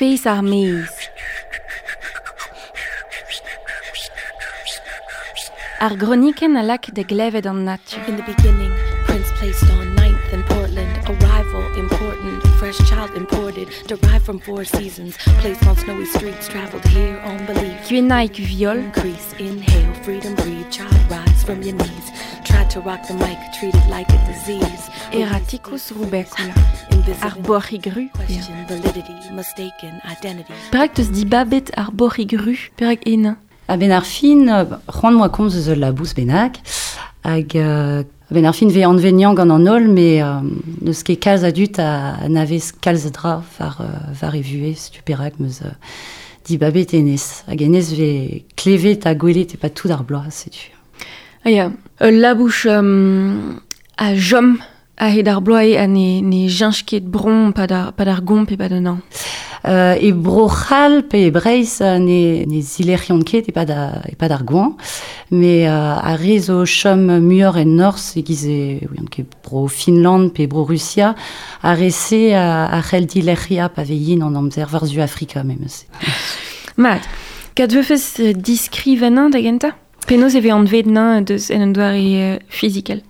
Feiz ar maez. Ar gronikenn a lak da glevet an natur. In the beginning, Prince placed on ninth in Portland. Arrival important, fresh child imported, derived from four seasons. Placed on snowy streets, traveled here on belief. Gwennaig Viol. Increase, inhale, freedom, breathe, child, rise from your knees. Tried to rock the mic, treated like a disease. Erraticus rubecula. Ar boc'hig ru. Question validity, mistaken identity. Perak teus dibabet ar boc'hig ru? Perak ena? A-benn ar fin, c'hoant moa komz eus ul labous bennak, hag a-benn ar fin vez anveniañ gant an holl, met n'eus ket kalz a dud a anavez kalz a dra war, war e vuhez, setu perak 'm eus dibabet hennezh. Hag hennezh vez klevet ha gwelet e-pad tout ar bloaz, setu. Ah ya, ul labous a chom a-hed ar bloaz eo ha ne, ne cheñch ket bron pad ar, pad ar gomp e pad an hañv. E Bro-C'hall pe e Breizh ne, ne zilec'hiont ket e-pad, e-pad ar goañv, met ar re zo chom muioc'h en norzh, e-giz e ouian ket Bro-Finland pe Bro-Rusia, ar re-se a c'hell dilec'hiañ pa vez yin an amzer war-zu Afrika memes. Mat, kad veufes diskrivañ da gentañ? Penaos e vez anvet nañ deus en un doare fizikel?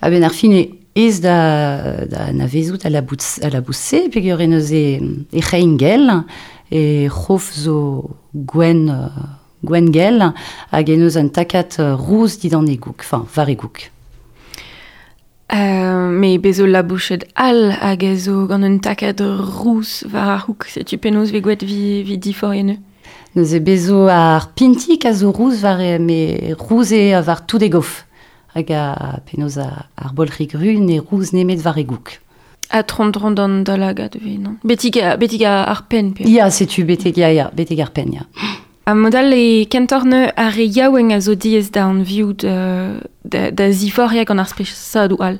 A-benn ar fin eo aes da, da anavezout al labous, al labous-se, peogwir e neuze e c'hein gell, e c'hof zo gwenn, gwenn gell, hag e neus un takad rouz dindan e goug, enfin, war e goug. Me bez zo labouched all hag a zo gant un takad rous war ar c'houg. Setu penaos vez gwet vi, vi diforien Neuze bez zo ar pintik a zo rouz war e, me rouz eo war tout e gof. Hag a penaos ar bolc'hig ru ne rouz nemet war e goug. Ha tron-dron d'an da lagad ve, non? Betik, betik ar penn, pe? Ya, setu betek, ya, ya, betek ar penn, ya. Ha mod-all e kentoc'h neuze ar re yaouank a zo diaes da anviout da, da ziforc'hiañ gant ar spesadoù all.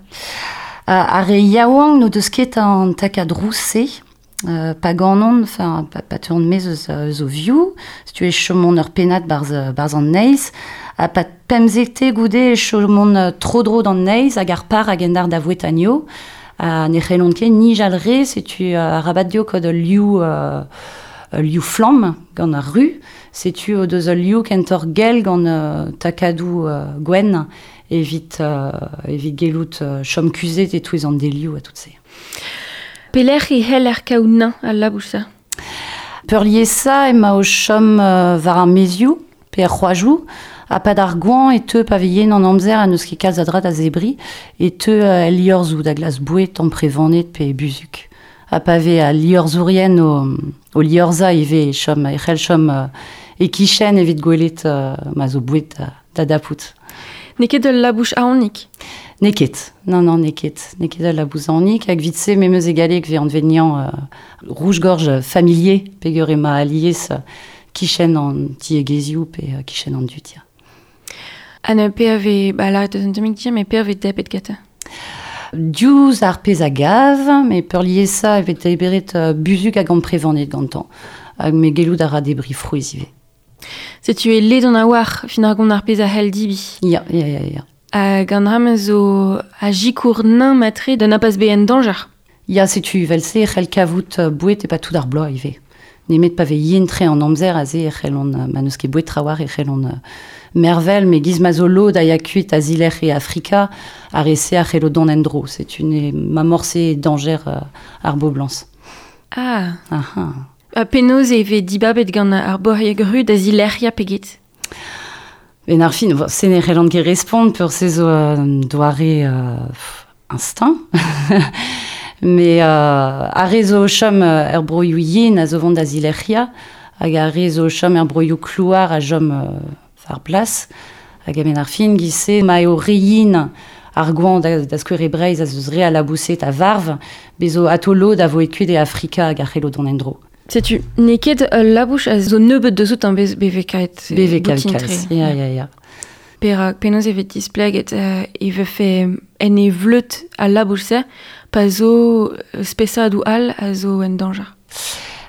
Ar re yaouank n'o deus ket an takad rous-se, pa ganont, enfin, pa, pa teuont maez eus, eus o vioù, setu e chomont ur pennad barzh, barzh an neizh, ha pa pemzekte goude e chomont tro-dro d'an neizh hag ar par hag en dar da vouetanio, ha ne c'hellont ket nijal re, setu arabat dezho kaout ul liv, ul liv flamm gant ar ru, setu o deus ul liv kentoc'h gell gant takadoù gwenn evit, evit gellout chom kuzhet e-touez an delioù ha tout se. Pelec'h e c'heller kaout nañ al labous-se? Peurliesañ emañ o chom war ar maezioù pe er c'hoajoù, ha pad ar goañv e teu pa vez yen an amzer ha n'eus ket kalz a dra da zebriñ, e teu el liorzhoù da glask boued amprevaned pe buzhug. Ha pa vez al liorzhourien o, o liorzhañ ivez e chom, e c'hell chom e-kichen evit gwelet ma zo boued da, da dapout. N'eo ket ul labous aonik? N'eo ket, non, non, n'eo ket. N'eo ket ul labous aonik, hag evit-se memes e galleg vez anvet niañ rouge-gorge familier, peogwir emañ alies kichen an tiegezhioù pe kichen an dud, ya. Ha ne pe a vez, ba lâret eus un tammig dir, met pe a vez debret gantañ? Diouzh ar pezh a gav, met peurliesañ e vez debret buzhug hag amprevaned gantañ. Hag me gellout a ra debriñ frouezh ivez. Setu e ledan a-walc'h fin ar gont ar pezh a c'hell dibi. Ya, ya, ya, ya. Hag an dra-mañ zo a sikour nañ matre da na pas bezañ en dañjer. Ya, setu evel-se e c'hell kavout boued e-pad tout ar bloaz ivez. Nemet pa vez yen-tre an amzer aze e c'hellont, ma n'eus ket boued trawalc'h e c'hellont mervel, met giz ma zo lod a ya kuit a zilerc'h e Afrika, ar re-se a c'hello dont en-dro. Setu ne ma morse dañjer ar boblañs. Ah. Aha. Ha penaos e vez dibabet gant ar boc'hieg ru da zilec'hiañ pe get? Ben ar fin, se ne c'hellan ket respont peur se zo un doare instinct. Mais ar re zo o chom er broioù yen a zo vont da zilec'hiañ hag ar re zo o chom er broioù klouar a chom war plas. Hag a-benn ar fin, giz-se, ma eo re yen ar goañv da, da skouer e Breizh a zeus re a laboused a varv, bez zo ato lod a vo e kuit e Afrika hag a c'hello dont en-dro. Setu, n'eo ket ul labous a zo nebeut deus outañ bez bevekaet. Bevekaet kalz, ya, ya, ya. Perak, penaos e vez displeget e vefe en e vleud al labous-se pa zo spesadoù all a zo en dañjer?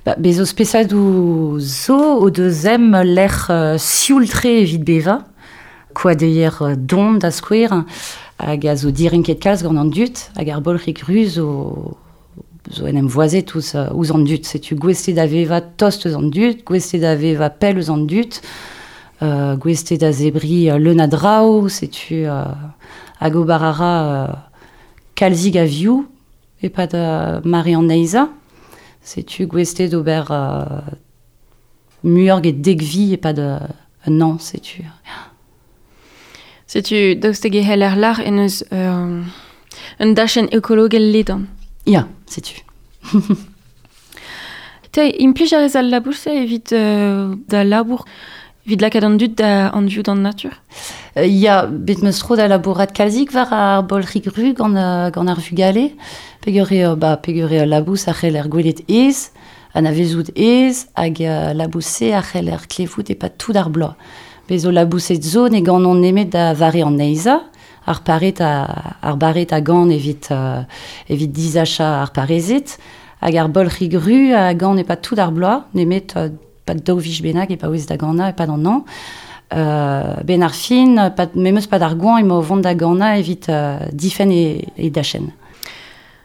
Ba, bez zo spesadoù zo o deus em lec'h sioul-tre evit bevañ, koadeier don da skouer, hag a zo direnket kalz gant an dud, hag ar bolc'hig ruz zo zo en em voazet ouzh an dud. Setu gouest eo da vevañ tost eus an dud, gouest eo da vevañ pell eus an dud, gouest eo da zebriñ leun a draoù, setu hag ober a ra kalzik a vioù e-pad mare an neizhañ. Setu gouest eo d'ober muioc'h get dek vi e-pad un an, setu. Setu daoust hag e c'heller lâr en eus un dachenn ekologel ledan. Ya, setu. Te, implij a rez al labour-se evit da labour, evit lakaat an dud da anviout an natur? Ya, bet 'm eus tro da labourat kalzik war ar bolc'hig ru gant ar vugale. Peger eo, ba, peger eo al labous a c'heller gwelet aes, anavezout aes, hag labous-se a c'heller klevout e-pad tout ar bloaz. Bez zo laboused zo ne ganont nemet da vare an neizhañ, ar pared a, ar bared a gan evit, evit disachañ ar parezed, hag ar bolc'hig ru a gan e-pad tout ar bloaz, nemet pad daou vij bennak e paouez da ganañ e-pad an hañv. Ben ar fin, pad, memes pad ar goañv emañ o vont da ganañ evit difenn e dachenn.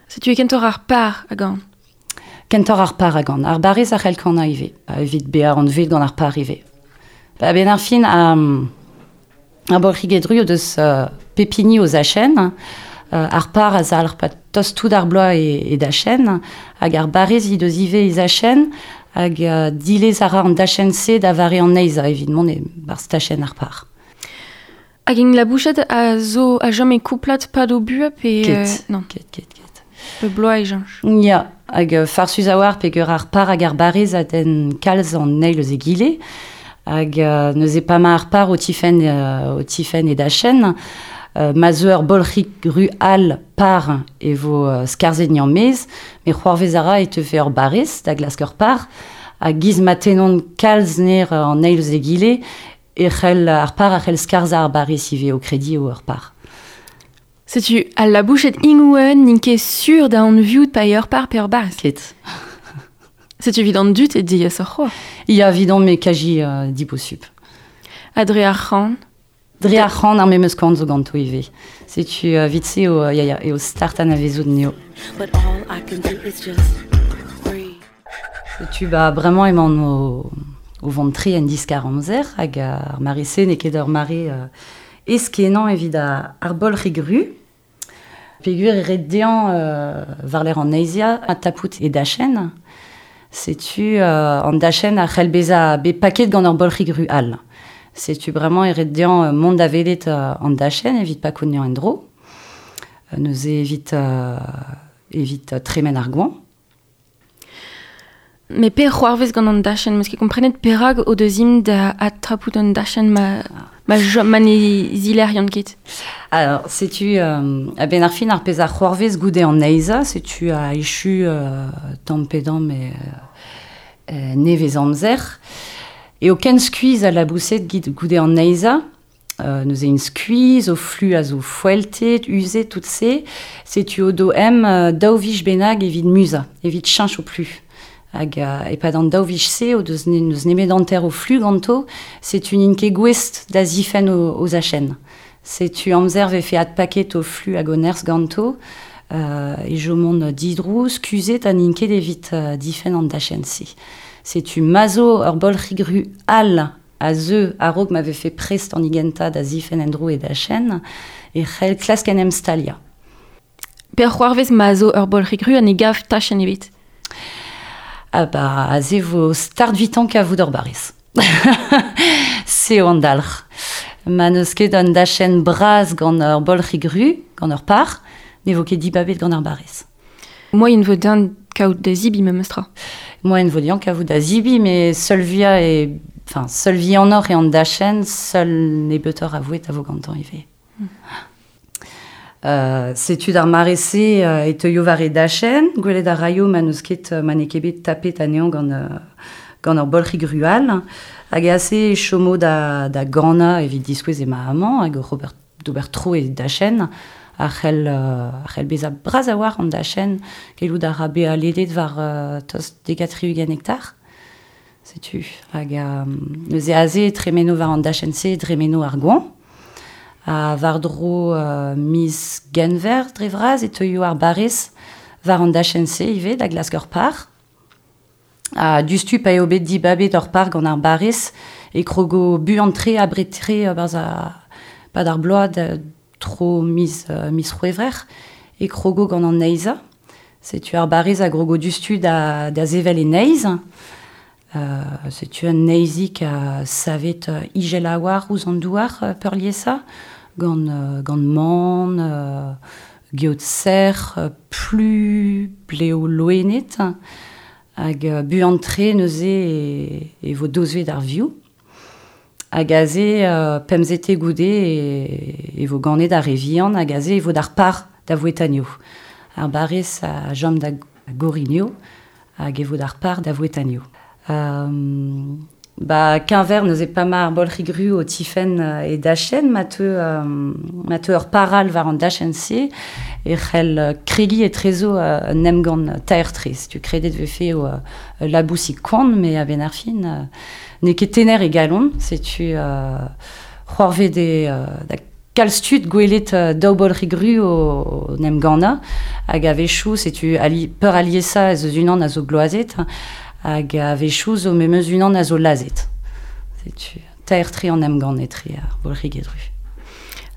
Setu e kentoc'h ar par a gan. Kentoc'h ar par a gan. Ar barrez a c'hell kanañ ivez, evit bezañ anvet gant ar par ivez. Ba, ben ar fin, ar bolc'higed ru o deus pep hini o zachenn. Ar par a zalc'h pa tost tout ar bloaz e dachenn, hag ar barrez he deus ivez he zachenn, hag dilez a ra an dachenn-se da vare an neizhañ evit mont e-barzh tachenn ar par. Hag int labouchet a zo a chom e kouplad pad o buhez pe... Ket, non. Ket, ket, ket. Pe bloaz e cheñch. Ya, hag farsus a-walc'h peger ar par hag ar barrez a denn kalz an eil eus egile. Hag neuze pa ma ar par o tifenn e dachenn, ma zeu ur bolc'hig ru all par e vo skarzhet maez, met c'hoarvez a ra e teufe ur barrez da glask ur par, hag giz ma tennont kalz ner an eil eus egile, e c'hell ar par a c'hell skarzhañ ar barrez ivez o krediñ eo ur par. Setu al labouched ingouen n'int ket sur da anviout pa eo ur par pe ur barrez. Ket. Setu evit an dud e diaesoc'h c'hoazh. Ya, evidon me kaji diposubl. Ha dre ar c'han? Dre ar c'han ar memes kan zo ganto ivez. Setu evit-se eo, ya, ya, eo start anavezout anezho. But all I can do is just breathe. Setu ba bremañ emaon o vont tre en diskar-amzer hag ar mare-se n'eo ket ur mare aes-kenañ evit ar bolc'hig ru. Peogwir e ret dezhañ war-lerc'h an neizhiañ ha tapout e dachenn. Setu an dachenn a c'hell bezañ bet paket gant ur bolc'hig ru all. Setu bremañ e ret dezhañ mont da welet an dachenn evit pakout anezhañ en-dro. Neuze evit tremen ar goañv. Mais pe c'hoarvez gant an dachenn, 'meus ket komprenet perak o deus int da adtapout an dachenn ma ne zileriont ket. Alors, setu a-benn ar fin ar pezh a c'hoarvez goude an neizhañ, setu a echu tamm pe damm nevez amzer. Eo ken skuizh al laboused goude an neizhañ, neuze int skuizh, o flu a zo foeltet, uzet, tout se. Setu o do em daou vij bennak evit muzañ, evit cheñch o plu. Hag e-pad an daou vij-se o deus n'eus nemet hanter o flu ganto, setu n'int ket gouest da zifenn o zachenn. Setu amzer vefe adpaket o flu hag o nerzh ganto, e chomont didrouz, kuzhet ha n'int ket evit difenn an dachenn-se. Setu ma zo ur bolc'hig ru all a zeu a-raok ma vefe prest an higentañ da zifenn en-dro e dachenn, e c'hell klask en em staliañ. Pe c'hoarvez ma zo ur bolc'hig ru ha ne gav tachenn ebet? Ah ba, aze vo start vitan kavout ur barrez. Se eo an dalc'h. Ma n'eus ket un dachenn bras gant ur bolc'hig ru, gant ur par, ne vo ket dibabet gant ar barrez. Moaien vo din kaout da zibi memes tra. Moaien vo din kaout da zibi, mais seul via e, enfin, seul vihanoc'h eo an dachenn, seul nebeutoc'h a voued a vo gantañ ivez. Setu d'ar mare-se e teuio war e dachenn, gwelet a raio ma n'eus ket ma n'eo ket bet tapet anezhañ gant ur bolc'hig ru all. Hag aze e chomo da ganañ evit diskouez emañ amañ hag oc'h ober d'ober tro e dachenn a c'hell bezañ bras a-walc'h an dachenn, gellout a ra bezañ ledet war tost 32 hektar. Setu hag neuze aze e tremeno war an dachenn-se, tremeno ar goañv. Ha war-dro miz Genver dre vras e teuio ar barrez war an dachenn-se ivez da glask ur par. Ha diouzhtu pa eo bet dibabet ur par gant ar barez e krogo buan-tre abred-tre barzh ar pad ar bloaz da tro miz, miz c'hwevrer e krogo gant an neizhañ. Setu ar barez a grogo diouzhtu da, da sevel e neizh. Setu un neizhig a savet ijel a-walc'h ouzh an douar peurliesañ, gant, gant man, geot sec'h, plu, blev loened. Hag buan-tre neuze e, e vo dozvet ar vioù. Hag aze, pemzete goude, e, e vo ganet ar re vihan, hag aze e vo d'ar par da vouetanio. Ar barez a chom da gorinio, hag e vo d'ar par da vouetanio. Ba keñver neuze pa ma ar bolc'hig-ru o tifenn e dachenn, ma teu, ma teu ur par all war an dachenn-se, e c'hell kregiñ etrezo un emgann taer-tre. Setu kredet vefe eo ul labousig koant, met a-benn ar fin, n'eo ket tener e galon. Setu c'hoarvet eo da kalz tud gwelet daou bolc'hig-ru o 'n em gannañ, hag a-wechoù, setu ali, peuraliesañ ez eus unan a zo gloazet, hag a-wechoù zo memes unan a zo lazhet. Setu taer-tre an emgann etre ar bolc'higed-ru.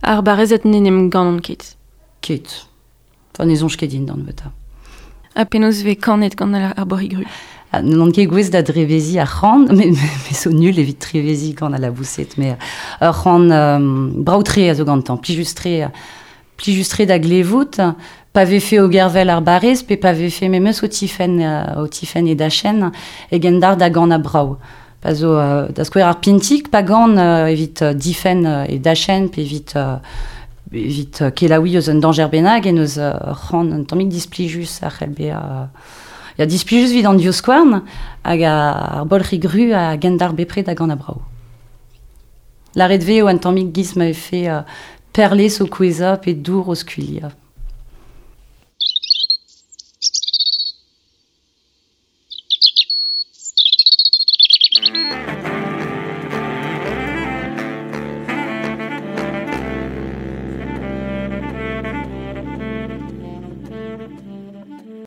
Ar barezed n'en em gannont ket. Ket. Enfin, ne soñj ket din d'an nebeutañ. Ha penaos vez kanet gant ar borigru? Ah, n'on ket gouest da dreveziñ ar c'han, met me zo nul evit treveziñ gant al laboused, mais ur c'han brav-tre a zo gantañ, plijus-tre, plijus-tre da glevout, pa vefe o gervel ar barrez, pe pa vefe memes o tifenn, o tifenn e dachenn, e gendalc'h da ganañ brav. Pa zo, da skouer ar pintig, pa gan evit difenn e dachenn, pe evit, evit kelaouiñ eus un dañjer bennak, en deus ur c'han un tammig displijus a c'hell bezañ ya, displijus evit an divskouarn, hag ar bolc'hig ru a gendalc'h bepred da ganañ brav. Lâret 'vez eo un tammig giz ma vefe perlez o kouezhañ pe dour o skuilhañ.